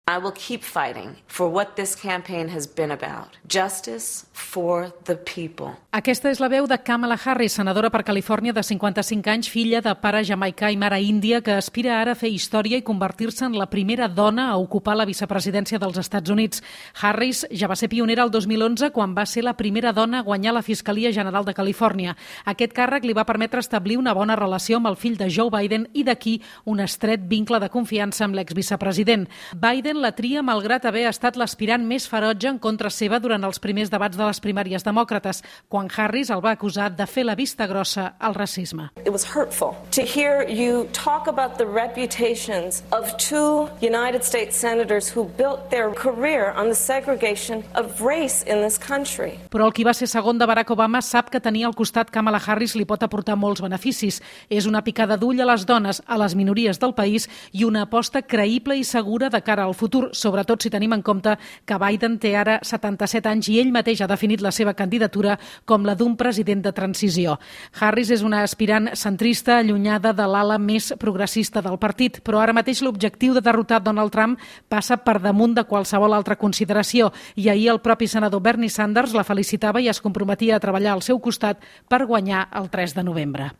I will keep fighting for what this campaign has been about. Justice for the people. Aquesta és la veu de Kamala Harris, senadora per Califòrnia de 55 anys, filla de pare jamaicà i mare índia, que aspira ara a fer història i convertir-se en la primera dona a ocupar la vicepresidència dels Estats Units. Harris ja va ser pionera el 2011 quan va ser la primera dona a guanyar la Fiscalia General de Califòrnia. Aquest càrrec li va permetre establir una bona relació amb el fill de Joe Biden i d'aquí un estret vincle de confiança amb l'exvicepresident. Biden la tria malgrat haver estat l'aspirant més ferotge en contra seva durant els primers debats de les primàries demòcrates, quan Harris el va acusar de fer la vista grossa al racisme. It was hurtful to hear you talk about the reputations of two United States senators who built their career on the segregation of race in this country. Però el qui va ser segon de Barack Obama sap que tenir al costat Kamala Harris li pot aportar molts beneficis. És una picada d'ull a les dones, a les minories del país i una aposta creïble i segura de cara al futur, sobretot si tenim en compte que Biden té ara 77 anys i ell mateix ha definit la seva candidatura com la d'un president de transició. Harris és una aspirant centrista allunyada de l'ala més progressista del partit, però ara mateix l'objectiu de derrotar Donald Trump passa per damunt de qualsevol altra consideració i ahir el propi senador Bernie Sanders la felicitava i es comprometia a treballar al seu costat per guanyar el 3 de novembre.